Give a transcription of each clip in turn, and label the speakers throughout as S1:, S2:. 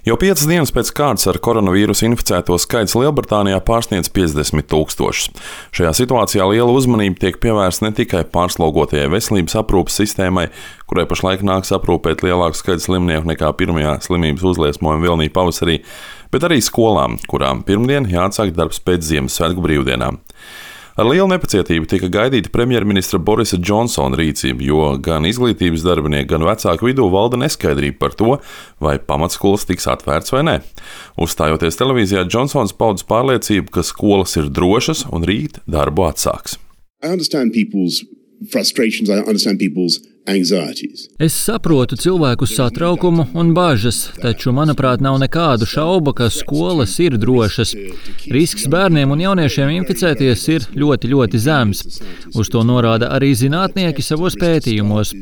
S1: Jau 5 dienas pēc kārtas ar koronavīrusu inficēto skaits Lielbritānijā pārsniedz 50 000. Šajā situācijā liela uzmanība tiek pievērsta ne tikai pārslogotajai veselības aprūpes sistēmai, kurai pašlaik nāks aprūpēt lielāku skaitu slimnieku nekā pirmajā slimības uzliesmojuma vilnī pavasarī, bet arī skolām, kurām pirmdien jāatsāk darbs pēc Ziemassvētku brīvdienām. Ar lielu nepacietību tika gaidīta premjerministra Borisa Džonsona rīcība, jo gan izglītības darbinieki, gan vecāku vidū valda neskaidrība par to, vai pamatskolas tiks atvērts vai nē. Uzstājoties televīzijā, Džonsons paudis pārliecību, ka skolas ir drošas un rīt darbu atsāks.
S2: Es saprotu cilvēku satraukumu un bažas, taču, manuprāt, nav nekādu šaubu, ka skolas ir drošas. Risks bērniem un jauniešiem inficēties ir ļoti, ļoti zems. Uz to norāda arī zinātnieki savos pētījumos.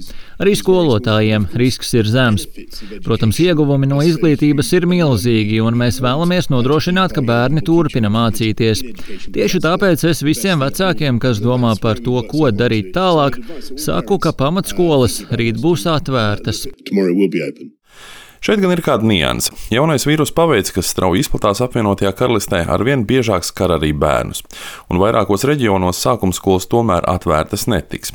S2: Arī skolotājiem risks ir zems. Protams, ieguvumi no izglītības ir milzīgi, un mēs vēlamies nodrošināt, ka bērni turpina mācīties. Tieši tāpēc es visiem vecākiem, kas domā par to, ko darīt tālāk, saku, ka pamatskolas rīt būs atvērtas.
S1: Šeit gan ir kāda nianse. Jaunais vīrus paveids, kas strauji izplatās apvienotajā karalistē, arvien biežāk skar arī bērnus. Un vairākos reģionos sākumskolas tomēr atvērtas netiks.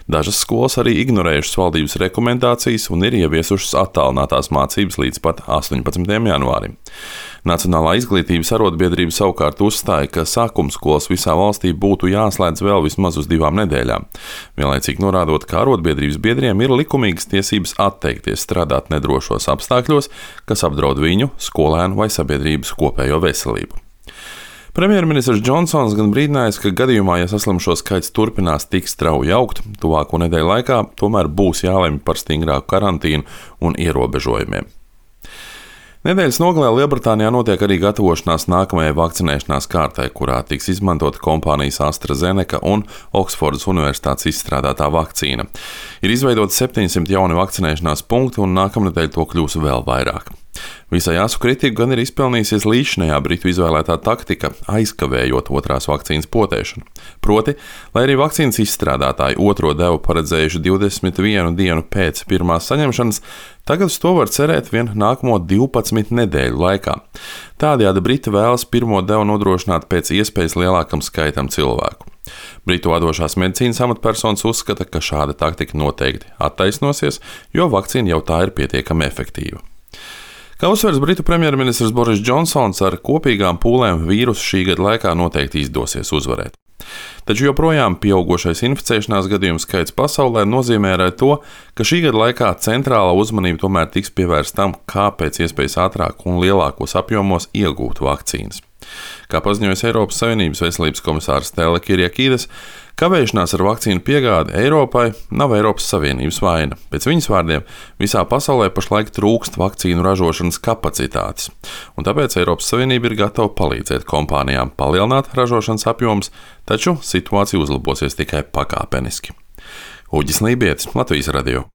S1: Dažas skolas arī ignorējušas valdības rekomendācijas un ir ieviesušas attālinātās mācības līdz pat 18. janvārim. Nacionālā izglītības arotbiedrība savukārt uzstāja, ka sākumskolas visā valstī būtu jāslēdz vēl vismaz uz 2 nedēļām. Vienlaicīgi norādot, ka arotbiedrības biedriem ir likumīgas tiesības atteikties strādāt nedrošos apstākļos, kas apdraud viņu, skolēnu vai sabiedrības kopējo veselību. Premjerministrs Džonsons gan brīdinājis, ka gadījumā, ja saslimšo skaits turpinās tik strauji augt, tuvāko nedēļu laikā tomēr būs jālemj par stingrāku karantīnu un ierobežojumiem. Nedēļas nogalē Lielbritānijā notiek arī gatavošanās nākamajai vakcinēšanās kārtai, kurā tiks izmantota kompānijas AstraZeneca un Oksfordas Universitātes izstrādātā vakcīna. Ir izveidoti 700 jauni vakcinēšanās punkti, un nākamnedēļ to kļūs vēl vairāk. Visai asu kritiku gan ir izpelnījusies līdzinējā Britu izvēlētā taktika, aizkavējot otrās vakcīnas potēšanu. Proti, lai arī vakcīnas izstrādātāji otro devu paredzējuši 21 dienu pēc pirmās saņemšanas, tagad uz to var cerēt vien nākamo 12 nedēļu laikā. Tādējādi Briti vēlas pirmo devu nodrošināt pēc iespējas lielākam skaitam cilvēku. Britu vadošās medicīnas amatpersonas uzskata, ka šāda taktika noteikti attaisnosies, jo vakcīna jau tā ir pietiekami efektīva. Kā uzsvers Britu premjerministrs Boris Džonsons, ar kopīgām pūlēm vīrusu šī gada laikā noteikti izdosies uzvarēt. Taču joprojām pieaugošais inficēšanās gadījumu skaits pasaulē nozīmē arī to, ka šī gada laikā centrālā uzmanība tomēr tiks pievērsta tam, kā pēc iespējas ātrāk un lielākos apjomos iegūt vakcīnas. Kā paziņojas Eiropas Savienības veselības komisārs Stella Kyriakides, kavēšanās ar vakcīnu piegādi Eiropai nav Eiropas Savienības vaina. Pēc viņas vārdiem, visā pasaulē pašlaik trūkst vakcīnu ražošanas kapacitātes, un tāpēc Eiropas Savienība ir gatava palīdzēt kompānijām palielināt ražošanas apjomus, taču situācija uzlabosies tikai pakāpeniski. Uģis Lībietis, Latvijas radio.